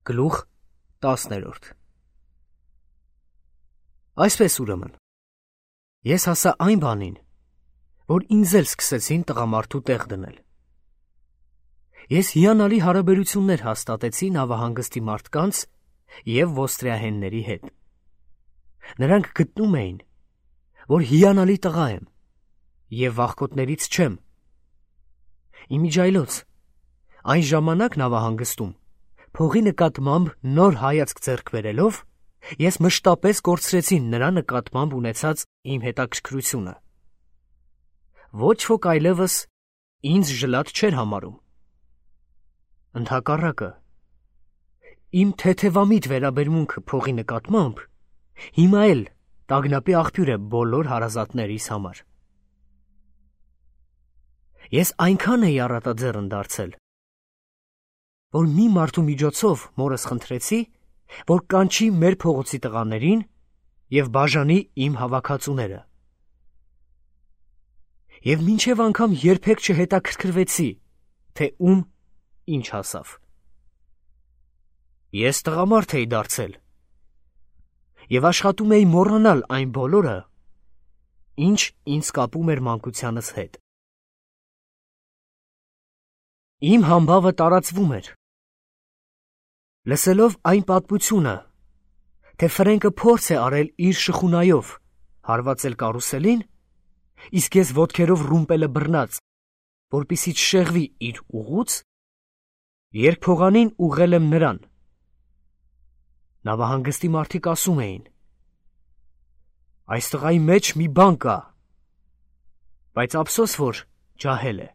Գլուխ 10. Այսպես ուրեմն, ես հասա այն բանին, որ ինձ էլ սկսեցին տղամարդու տեղ դնել։ Ես հիանալի հարաբերություններ հաստատեցի նավահանգստի մարդկանց և ոստրիահենների հետ։ Նրանք գտնում էին, որ հիանալի տղա եմ և վախկոտներից չեմ։ Իմիջայլոց, այն ժամանակ նավահանգստում փողի նկատմամբ նոր հայացք ձեռք բերելով, ես մշտապես կորցրեցի նրա նկատմամբ ունեցած իմ հետաքրքրությունը։ Ոչ ոք այլևս ինձ ժլատ չէր համարում։ Ընդհակառակը, իմ թեթևամիտ վերաբերմունքը փողի նկատմամբ հիմա էլ տագնապի աղբյուր է բոլոր հարազատներիս համար։ Ես այնքան էի առատաձեռն դարձել, որ մի մարդու միջոցով մորս խնդրեցի, որ կանչի մեր փողոցի տղաներին և բաժանի իմ հավաքածուները։ Եվ մինչև անգամ երբեք չհետաքրքրվեցի, թե ում ինչ հասավ։ Ես տղամարդ էի դարձել և աշխատում էի մոռանալ այն բոլորը, ինչ ինձ կապում էր մանկությանս հետ։ Իմ համբավը տարածվում էր։ Լսելով այն պատմությունը, թե Ֆրենկը փորձ է արել իր շխունայով հարվածել կարուսելին, իսկ ես ոտքերով ռումպելը բռնած, որպեսզի չշեղվի իր ուղուց, երկփողանին ուղղել եմ նրան։ Նավահանգստի մարդիկ ասում էին. այս տղայի մեջ մի բան կա, բայց ափսոս, որ ջահել է։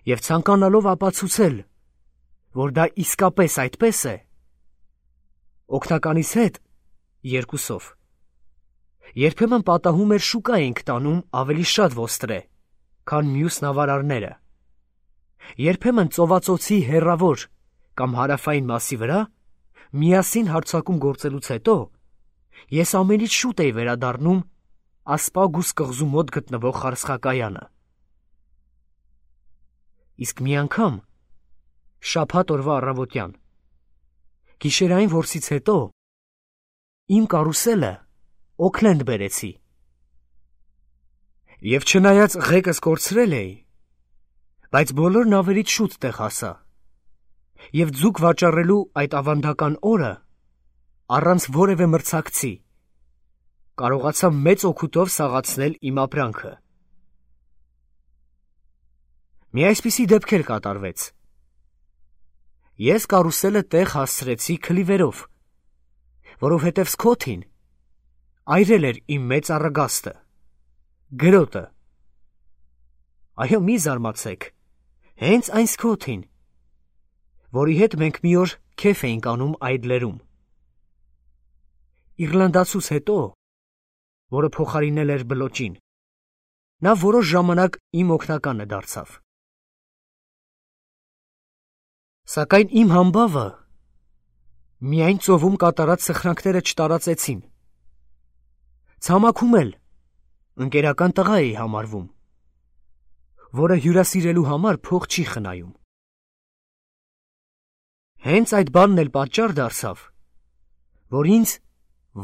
Եվ ցանկանալով ապացուցել, որ դա իսկապես այդպես է, օգնականիս հետ երկուսով երբեմն պատահում էր շուկա էինք տանում ավելի շատ ոստրե, քան մյուս նավարարները։ Երբեմն ծովածոցի հեռավոր կամ հարավային մասի վրա միասին հարձակում գործելուց հետո ես ամենից շուտ էի վերադառնում Ասպագուս կղզու մոտ գտնվող խարսխակայանը։ Իսկ մի անգամ շաբաթ օրվա առավոտյան գիշերային որսից հետո իմ կարուսելը Օքլենդ բերեցի։ Եվ չնայած ղեկս կորցրել էի, բայց բոլոր նավերից շուտ տեղ հասա, և ձուկ վաճառելու այդ ավանդական օրը առանց որևէ մրցակցի կարողացա մեծ օգուտով սաղացնել իմ ապրանքը։ Մի այսպիսի դեպք էլ կատարվեց։ Ես կարուսելը տեղ հասցրեցի քլիվերով, որովհետև Սքոթին այրել էր իմ մեծ առագաստը, գրոտը։ Այո, մի զարմացեք, հենց այն Սքոթին, որի հետ մենք մի օր քեֆ էինք անում այդ լերում։ Իռլանդացուց հետո, որը փոխարինել էր բլոճին, նա որոշ ժամանակ իմ օգնականը դարձավ։ Սակայն իմ համբավը միայն ծովում կատարած սխրանքները չտարածեցին։ Ցամաքում էլ ընկերական տղա էի համարվում, որը հյուրասիրելու համար փող չի խնայում։ Հենց այդ բանն էլ պատճառ դարձավ, որ ինձ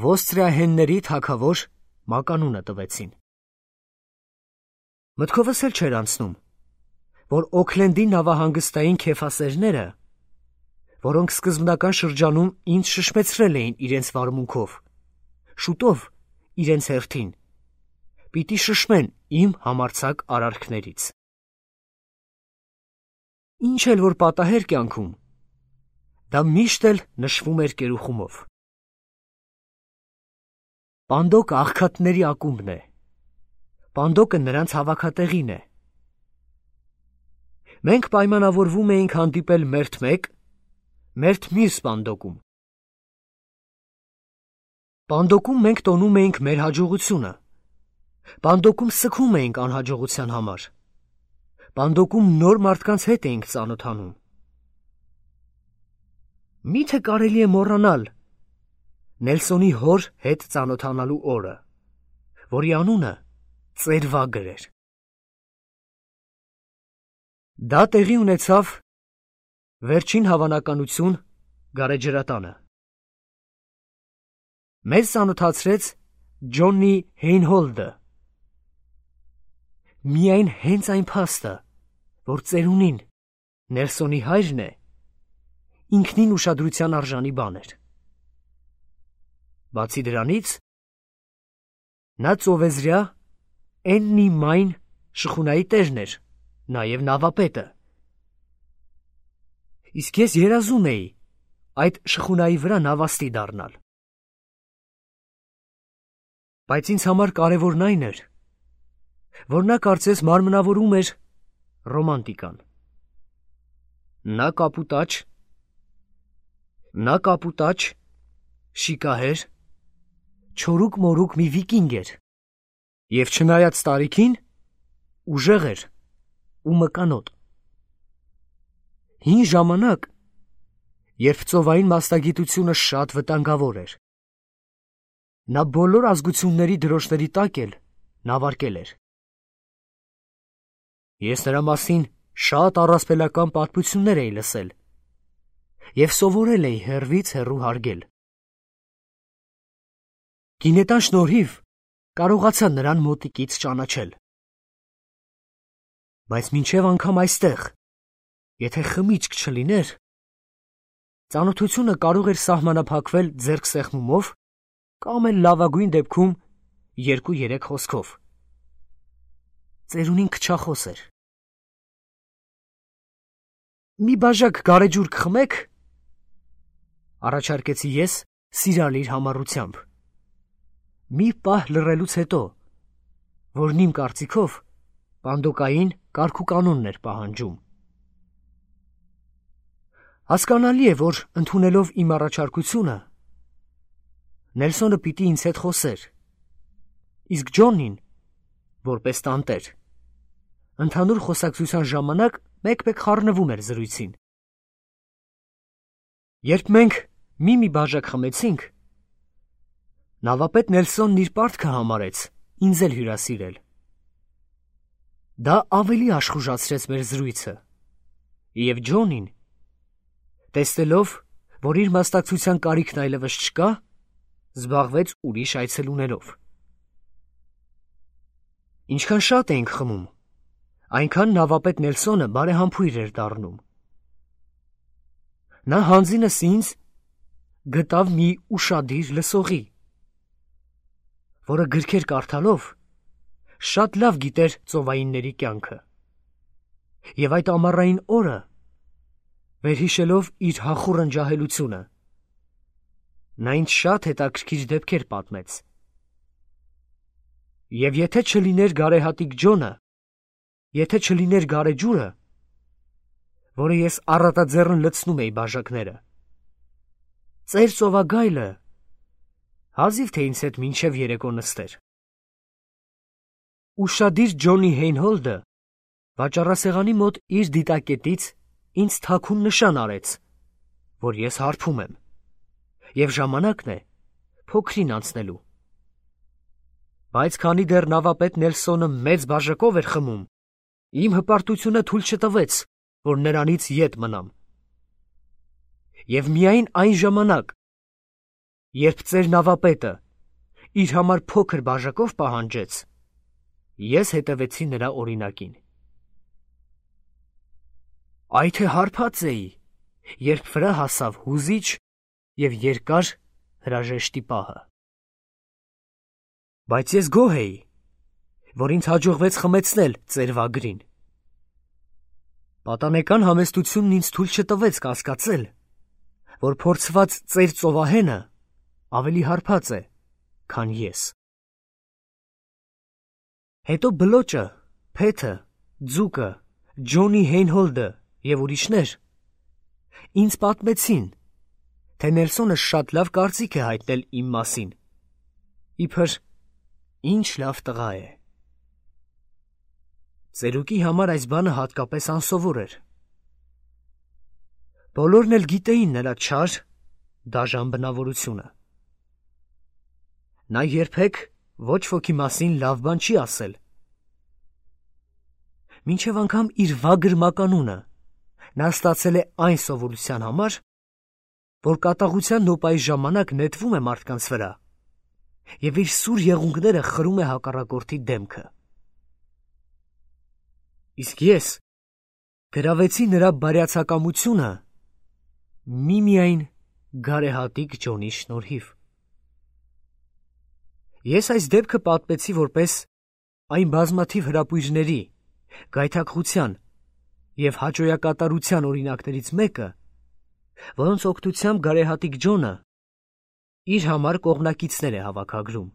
ոստրիահենների թագավոր մականունը տվեցին։ Մտքովս էլ չէր անցնում, որ Օքլենդի նավահանգստային քեֆասերները, որոնք սկզբնական շրջանում ինձ շշմեցրել էին իրենց վարմունքով, շուտով իրենց հերթին պիտի շշմեն իմ համարձակ արարքներից։ Ինչ էլ որ պատահեր կյանքում, դա միշտ էլ նշվում էր կերուխումով։ Պանդոկը աղքատների ակումբն է, Պանդոկը նրանց հավաքատեղին է։ Մենք պայմանավորվում էինք հանդիպել մերթ մեկ, մերթ մյուս Պանդոկում։ Պանդոկում մենք տոնում էինք մեր հաջողությունը, Պանդոկում սգում էինք անհաջողության համար, Պանդոկում նոր մարդկանց հետ էինք ծանոթանում։ Միթե կարելի է մոռանալ Նելսոնի հոր հետ ծանոթանալու օրը, որի անունը Ծերվագր էր։ Դա տեղի ունեցավ Վերջին հավանականություն գարեջրատանը։ Մեզ ծանոթացրեց Ջոնի Հեյնհոլդը։ Միայն հենց այն փաստը, որ ծերունին Նելսոնի հայրն է, ինքնին ուշադրության արժանի բան էր։ Բացի դրանից, նա ծովեզրյա Էննի Մայն շխունայի տերն էր, նաև նավապետը։ Իսկ ես երազում էի այդ շխունայի վրա նավաստի դառնալ։ Բայց ինձ համար կարևորն այն էր, որ նա կարծես մարմնավորում էր ռոմանտիկան։ Նա կապուտաչ, շիկահեր, չորուկ-մորուկ մի վիկինգ էր, և չնայած տարիքին, ուժեղ էր ու մկանոտ։ Հին ժամանակ, երբ ծովային մասնագիտությունը շատ վտանգավոր էր, նա բոլոր ազգությունների դրոշների տակ էլ նավարկել էր։ Ես նրա մասին շատ առասպելական պատմություններ էի լսել և սովորել էի հեռվից հեռու հարգել։ Գինետան շնորհիվ կարողացա նրան մոտիկից ճանաչել։ Բայց մինչև անգամ այստեղ, եթե խմիչք չլիներ, ծանոթությունը կարող էր սահմանափակվել ձեռքսեղմումով կամ էլ լավագույն դեպքում 2-3 խոսքով։ Ծերունին քչախոս էր։ «Մի բաժակ գարեջուր կխմեք», առաջարկեցի ես սիրալիր համառությամբ։ Մի պահ լռելուց հետո, որն իմ կարծիքով պանդոկային կարգուկանոնն էր պահանջում։ Հասկանալի է, որ ընդունելով իմ առաջարկությունը, Նելսոնը պիտի ինձ հետ խոսեր, իսկ Ջոնին, որպես տանտեր, ընդհանուր խոսակցության ժամանակ մեկ-մեկ խառնվում էր զրույցին։ Երբ մենք մի բաժակ խմեցինք, նավապետ Նելսոնն իր պարտքը համարեց ինձ էլ հյուրասիրել։ Դա ավելի աշխուժացրեց մեր զրույցը, և Ջոնին, տեսնելով, որ իր մասնակցության կարիքն այլևս չկա, զբաղվեց ուրիշ այցելուներով։ Ինչքան շատ էինք խմում, այնքան նավապետ Նելսոնը բարեհամբույր էր դառնում։ Նա հանձինս ինձ գտավ մի ուշադիր լսողի, որը գրքեր կարդալով շատ լավ գիտեր ծովայինների կյանքը, և այդ ամառային օրը, վերհիշելով իր հախուռն ջահելությունը, նա ինձ շատ հետաքրքիր դեպքեր պատմեց։ Եվ եթե չլիներ գարեհատիկ Ջոնը, եթե չլիներ գարեջուրը, որը ես առատաձեռն լցնում էի բաժակները, ծեր ծովագայլը հազիվ թե ինձ հետ մինչև երեկո նստեր։ Ուշադիր Ջոնի Հեյնհոլդը վաճառասեղանի մոտ իր դիտակետից ինձ թաքուն նշան արեց, որ ես հարբում եմ, և ժամանակն է փոքրին անցնելու։ Բայց քանի դեռ նավապետ Նելսոնը մեծ բաժակով էր խմում, իմ հպարտությունը թույլ չտվեց, որ նրանից ետ մնամ։ Եվ միայն այն ժամանակ, երբ ծեր նավապետը իր համար փոքր բաժակով պահանջեց, ես հետևեցի նրա օրինակին։ Այ թե հարբած էի, երբ վրա հասավ հուզիչ և երկար հրաժեշտի պահը։ Բայց ես գոհ էի, որ ինձ հաջողվեց խմեցնել ծերվագրին։ Պատանեկան համեստությունն ինձ թույլ չտվեց կասկածել, որ փորձված ծեր ծովահենը ավելի հարբած է, քան ես։ Հետո բլոճը, Փեթը, ձուկը, Ջոնի Հեյնհոլդը և ուրիշներ ինձ պատմեցին, թե Նելսոնը շատ լավ կարծիք է հայտնել իմ մասին, իբր ինչ լավ տղա է։ Ծերուկի համար այս բանը հատկապես անսովոր էր։ Բոլորն էլ գիտեին նրա չար, դաժան բնավորությունը։ Նա երբեք ոչ ոքի մասին լավ բան չի ասել։ Մինչև անգամ իր վագր մականունը, Նա ստացել է այն սովորության համար, որ կատաղության նոպայի ժամանակ նետվում է մարդկանց վրա և իր սուր եղունգները խրում է հակառակորդի դեմքը։ Իսկ ես գրավեցի նրա բարյացակամությունը միմիայն գարեհատիկ Ջոնի շնորհիվ։ Ես այս դեպքը պատմեցի որպես այն բազմաթիվ հրապույրների, գայթակղության և հաճոյակատարության օրինակներից մեկը, որոնց օգնությամբ գարեհատիկ Ջոնը իր համար կողմնակիցներ է հավաքագրում։